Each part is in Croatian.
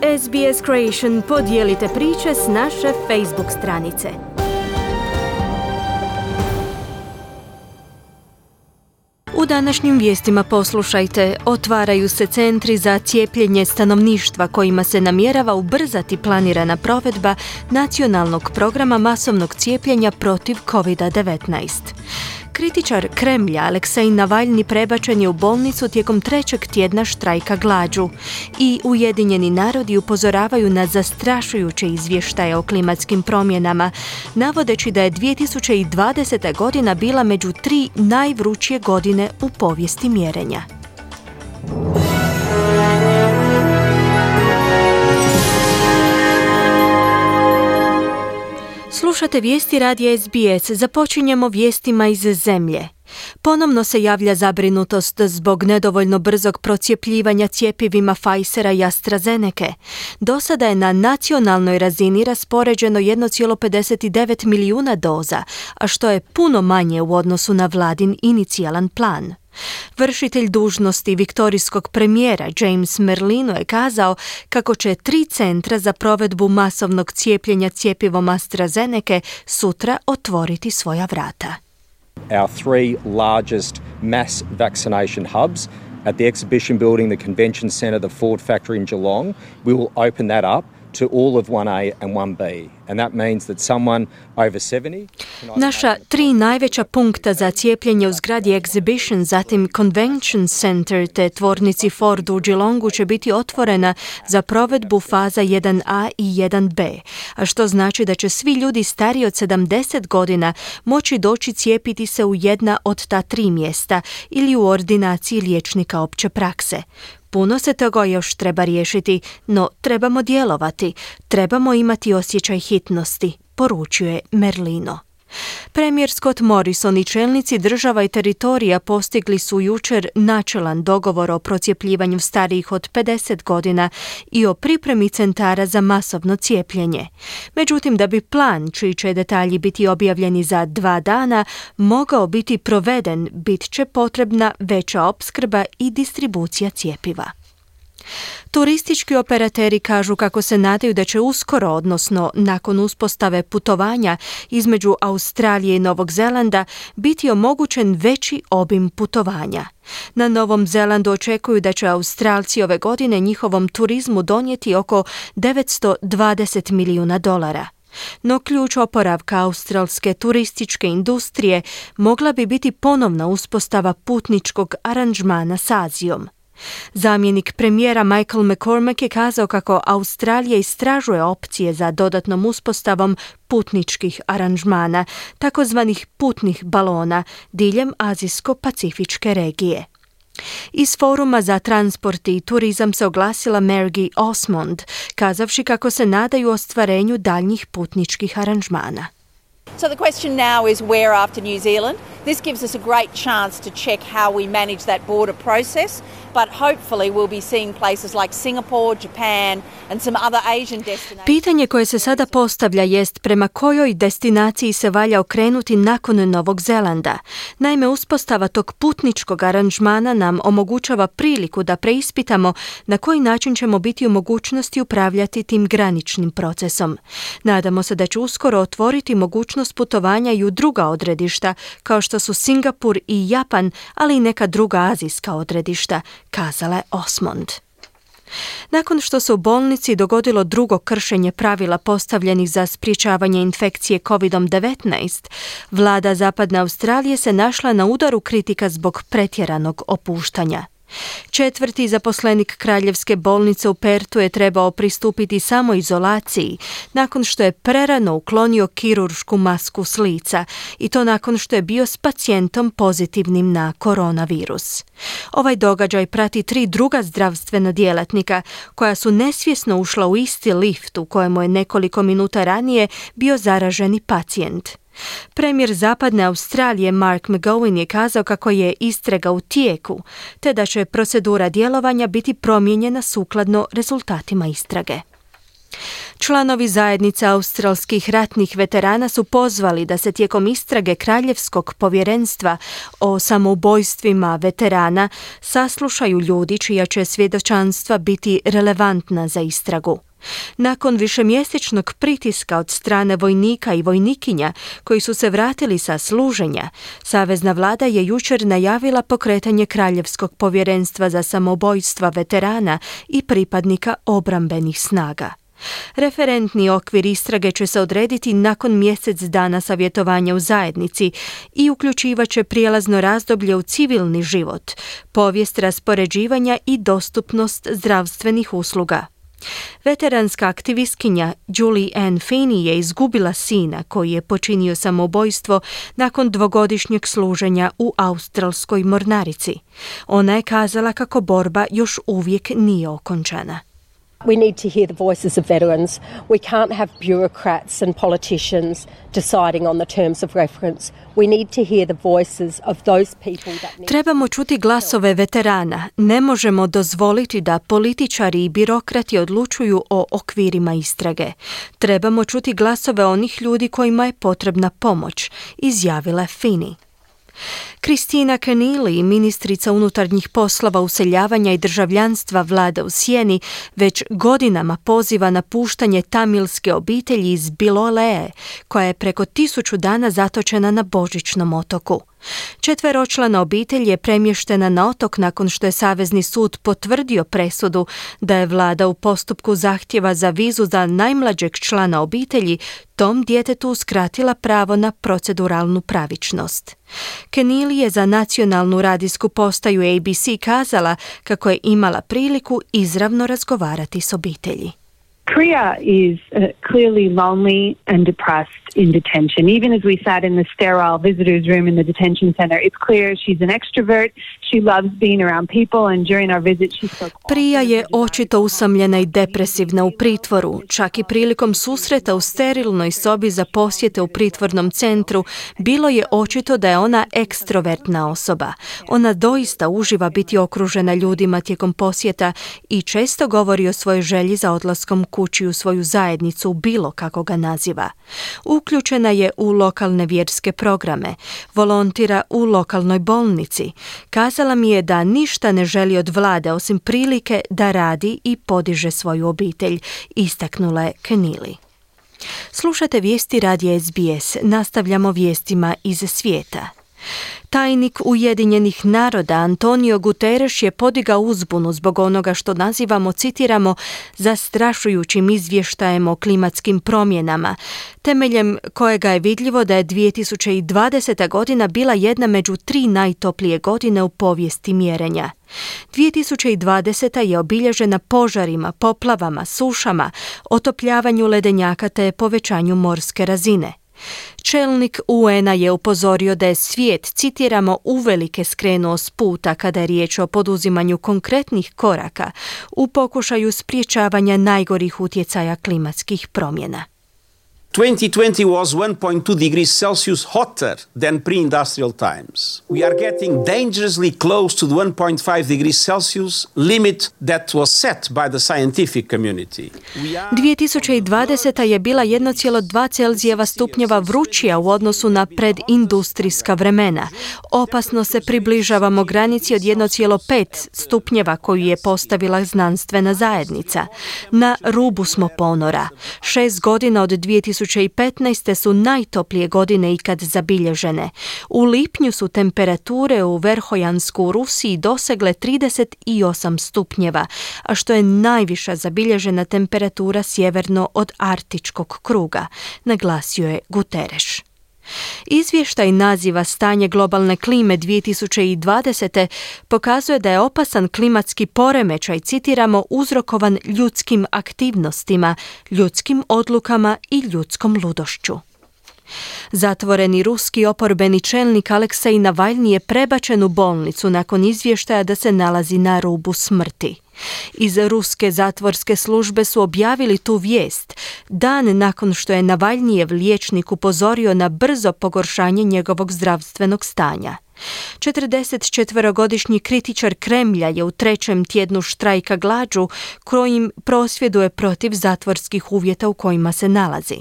SBS Creation, podijelite priče s naše Facebook stranice. U današnjim vijestima poslušajte, otvaraju se centri za cijepljenje stanovništva kojima se namjerava ubrzati planirana provedba nacionalnog programa masovnog cijepljenja protiv COVID-19. Kritičar Kremlja Aleksej Navalni prebačen je u bolnicu tijekom 3. tjedna štrajka glađu i Ujedinjeni narodi upozoravaju na zastrašujuće izvještaje o klimatskim promjenama, navodeći da je 2020. godina bila među 3 najvrućije godine u povijesti mjerenja. Slušate vijesti radija SBS. Započinjemo vijestima iz zemlje. Ponovno se javlja zabrinutost zbog nedovoljno brzog procjepljivanja cjepivima Pfizera i AstraZenece. Do sada je na nacionalnoj razini raspoređeno 1,59 milijuna doza, a što je puno manje u odnosu na vladin inicijalan plan. Vršitelj dužnosti viktorijskog premijera James Merlino je kazao kako će 3 centra za provedbu masovnog cijepljenja cjepivom AstraZenece sutra otvoriti svoja vrata. Our 3 largest mass vaccination hubs at the exhibition building, the convention centre, the Ford factory in Geelong, we will open that up to all of 1A and 1B. And that means that someone over 70... Naša 3 najveća punkta za cijepljenje u zgradi Exhibition, zatim Convention Center te tvornici Ford u Geelongu će biti otvorena za provedbu faza 1A i 1B, a što znači da će svi ljudi stariji od 70 godina moći doći cijepiti se u jedna od ta 3 mjesta ili u ordinaciji liječnika opće prakse. Puno se toga još treba riješiti, no trebamo djelovati, trebamo imati osjećaj hitnosti, poručuje Merlino. Premijer Scott Morrison i čelnici država i teritorija postigli su jučer načelan dogovor o procjepljivanju starijih od 50 godina i o pripremi centara za masovno cijepljenje. Međutim, da bi plan, čiji će detalji biti objavljeni za 2 dana, mogao biti proveden, bit će potrebna veća opskrba i distribucija cjepiva. Turistički operateri kažu kako se nadaju da će uskoro, odnosno nakon uspostave putovanja između Australije i Novog Zelanda, biti omogućen veći obim putovanja. Na Novom Zelandu očekuju da će Australci ove godine njihovom turizmu donijeti oko $920 milijuna. No ključ oporavka australske turističke industrije mogla bi biti ponovna uspostava putničkog aranžmana s Azijom. Zamjenik premijera Michael McCormack je kazao kako Australija istražuje opcije za dodatnom uspostavom putničkih aranžmana, takozvanih putnih balona, diljem azijsko-pacifičke regije. Iz Foruma za transport i turizam se oglasila Margie Osmond, kazavši kako se nadaju ostvarenju daljnjih putničkih aranžmana. So the question now is where after New Zealand? This gives us a great chance to check how we manage that border process, but hopefully we'll be seeing places like Singapore, Japan and some other Asian destinations. Pitanje koje se sada postavlja jest prema kojoj destinaciji se valja okrenuti nakon Novog Zelanda. Naime, uspostava tog putničkog aranžmana nam omogućava priliku da preispitamo na koji način ćemo biti u mogućnosti upravljati tim graničnim procesom. Nadamo se da će uskoro otvoriti mogućnost putovanja i u druga odredišta, kao što su Singapur i Japan, ali i neka druga azijska odredišta, kazala je Osmond. Nakon što se u bolnici dogodilo drugo kršenje pravila postavljenih za sprječavanje infekcije COVID-19, vlada Zapadne Australije se našla na udaru kritika zbog pretjeranog opuštanja. 4. zaposlenik Kraljevske bolnice u Perthu je trebao pristupiti samoizolaciji nakon što je prerano uklonio kiruršku masku s lica i to nakon što je bio s pacijentom pozitivnim na koronavirus. Ovaj događaj prati 3 druga zdravstvena djelatnika koja su nesvjesno ušla u isti lift u kojemu je nekoliko minuta ranije bio zaraženi pacijent. Premijer Zapadne Australije Mark McGowan je kazao kako je istraga u tijeku, te da će procedura djelovanja biti promijenjena sukladno rezultatima istrage. Članovi zajednice australskih ratnih veterana su pozvali da se tijekom istrage Kraljevskog povjerenstva o samoubojstvima veterana saslušaju ljudi čija će svjedočanstva biti relevantna za istragu. Nakon višemjesečnog pritiska od strane vojnika i vojnikinja koji su se vratili sa služenja, savezna vlada je jučer najavila pokretanje Kraljevskog povjerenstva za samoubojstva veterana i pripadnika obrambenih snaga. Referentni okvir istrage će se odrediti nakon mjesec dana savjetovanja u zajednici i uključivaće prijelazno razdoblje u civilni život, povijest raspoređivanja i dostupnost zdravstvenih usluga. Veteranska aktivistkinja Julie Ann Feeney je izgubila sina koji je počinio samoubojstvo nakon 2-godišnjeg služenja u australskoj mornarici. Ona je kazala kako borba još uvijek nije okončana. We need to hear the voices of veterans. We can't have bureaucrats and politicians deciding on the terms of reference. We need to hear the voices of those people that need... Trebamo čuti glasove veterana. Ne možemo dozvoliti da političari i birokrati odlučuju o okvirima istrage. Trebamo čuti glasove onih ljudi kojima je potrebna pomoć, izjavila je Feeney. Christina Keneally, ministrica unutarnjih poslova, useljavanja i državljanstva vlade u Sjeni, već godinama poziva na puštanje tamilske obitelji iz Biloleje, koja je preko 1000 dana zatočena na Božićnom otoku. 4-člana obitelj je premještena na otok nakon što je Savezni sud potvrdio presudu da je vlada u postupku zahtjeva za vizu za najmlađeg člana obitelji tom djetetu uskratila pravo na proceduralnu pravičnost. Keneally je za nacionalnu radijsku postaju ABC kazala kako je imala priliku izravno razgovarati s obitelji. Priya is clearly lonely and depressed in detention. Even as we sat in the sterile visitors room in the detention center, it's clear she's an extrovert. She loves being around people and during our visit she spoke. Priya je očito usamljena i depresivna u pritvoru. Čak i prilikom susreta u sterilnoj sobi za posjete u pritvornom centru bilo je očito da je ona ekstrovertna osoba. Ona doista uživa biti okružena ljudima tijekom posjeta i često govori o svojoj želji za odlaskom kući u svoju zajednicu, bilo kako ga naziva. Uključena je u lokalne vjerske programe, volontira u lokalnoj bolnici. Kazala mi je da ništa ne želi od vlade osim prilike da radi i podiže svoju obitelj, istaknula je Keneally. Slušate vijesti radija SBS, nastavljamo vijestima iz svijeta. Tajnik Ujedinjenih naroda Antonio Guterres je podigao uzbunu zbog onoga što nazivamo, citiramo, zastrašujućim izvještajem o klimatskim promjenama, temeljem kojega je vidljivo da je 2020. godina bila jedna među 3 najtoplije godine u povijesti mjerenja. 2020. je obilježena požarima, poplavama, sušama, otopljavanju ledenjaka te povećanju morske razine. Čelnik UN-a je upozorio da je svijet, citiramo, uvelike skrenuo s puta kada je riječ o poduzimanju konkretnih koraka u pokušaju sprječavanja najgorih utjecaja klimatskih promjena. 2020 was 1.2 degrees Celsius hotter than pre-industrial times. We are getting dangerously close to the 1.5 degrees Celsius limit that was set by the scientific community. 2020. je bila 1,2 Celzijeva stupnjeva vrućija u odnosu na predindustrijska vremena. Opasno se približavamo granici od 1,5 stupnjeva koju je postavila znanstvena zajednica. Na rubu smo ponora. 6 godina od 2015. su najtoplije godine ikad zabilježene. U lipnju su temperature u Verhojansku u Rusiji dosegle 38 stupnjeva, a što je najviša zabilježena temperatura sjeverno od Arktičkog kruga, naglasio je Guterres. Izvještaj naziva Stanje globalne klime 2020. pokazuje da je opasan klimatski poremećaj, citiramo, uzrokovan ljudskim aktivnostima, ljudskim odlukama i ljudskom ludošću. Zatvoreni ruski oporbeni čelnik Aleksej Navalni je prebačen u bolnicu nakon izvještaja da se nalazi na rubu smrti. Iz ruske zatvorske službe su objavili tu vijest dan nakon što je Navalnijev liječnik upozorio na brzo pogoršanje njegovog zdravstvenog stanja. 44-godišnji kritičar Kremlja je u 3. tjednu štrajka glađu kojim prosvjeduje protiv zatvorskih uvjeta u kojima se nalazi.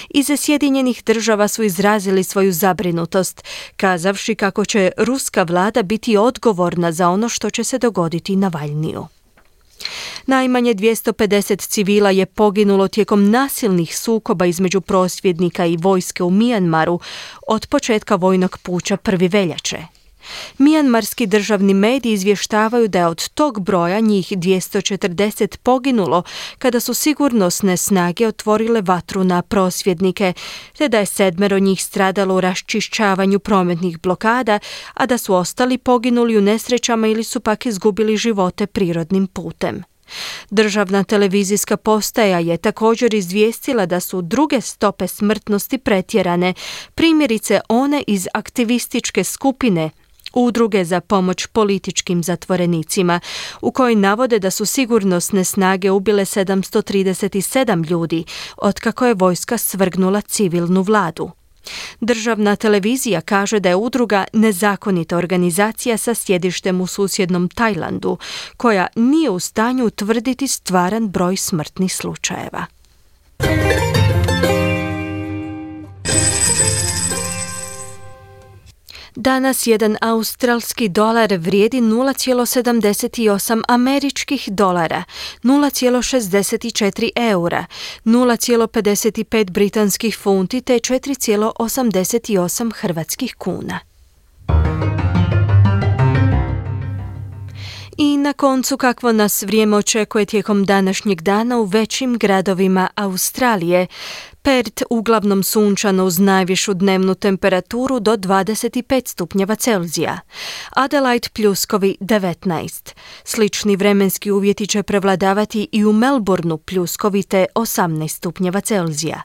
Iz Sjedinjenih Država su izrazili svoju zabrinutost, kazavši kako će ruska vlada biti odgovorna za ono što će se dogoditi Navalniju. Najmanje 250 civila je poginulo tijekom nasilnih sukoba između prosvjednika i vojske u Mijanmaru od početka vojnog puča 1. veljače. Mijanmarski državni mediji izvještavaju da je od tog broja njih 240 poginulo kada su sigurnosne snage otvorile vatru na prosvjednike, te da je 7 njih stradalo u raščišćavanju prometnih blokada, a da su ostali poginuli u nesrećama ili su pak izgubili živote prirodnim putem. Državna televizijska postaja je također izvijestila da su druge stope smrtnosti pretjerane, primjerice one iz aktivističke skupine Udruge za pomoć političkim zatvorenicima, u kojoj navode da su sigurnosne snage ubile 737 ljudi, otkako je vojska svrgnula civilnu vladu. Državna televizija kaže da je udruga nezakonita organizacija sa sjedištem u susjednom Tajlandu, koja nije u stanju utvrditi stvaran broj smrtnih slučajeva. Danas jedan australski dolar vrijedi 0,78 američkih dolara, 0,64 eura, 0,55 britanskih funti te 4,88 hrvatskih kuna. I na koncu kakvo nas vrijeme očekuje tijekom današnjeg dana u većim gradovima Australije. Perth uglavnom sunčano uz najvišu dnevnu temperaturu do 25 stupnjeva Celzija. Adelaide pljuskovi 19. Slični vremenski uvjeti će prevladavati i u Melbourneu pljuskovi te 18 stupnjeva Celzija.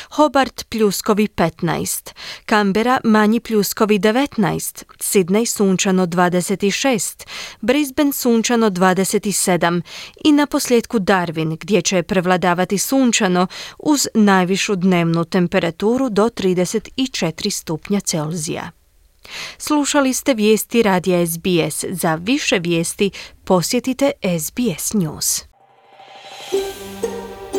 Hobart pljuskovi 15. Canberra manji pljuskovi 19. Sydney sunčano 26. Brisbane sunčano 27. I na posljedku Darwin gdje će prevladavati sunčano uz najvišu dnevnu temperaturu do 34 stupnja Celzija. Slušali ste vijesti radija SBS. Za više vijesti posjetite SBS News.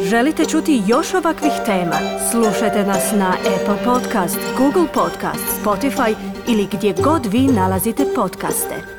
Želite čuti još ovakvih tema? Slušajte nas na Apple Podcast, Google Podcast, Spotify ili gdje god vi nalazite podcaste.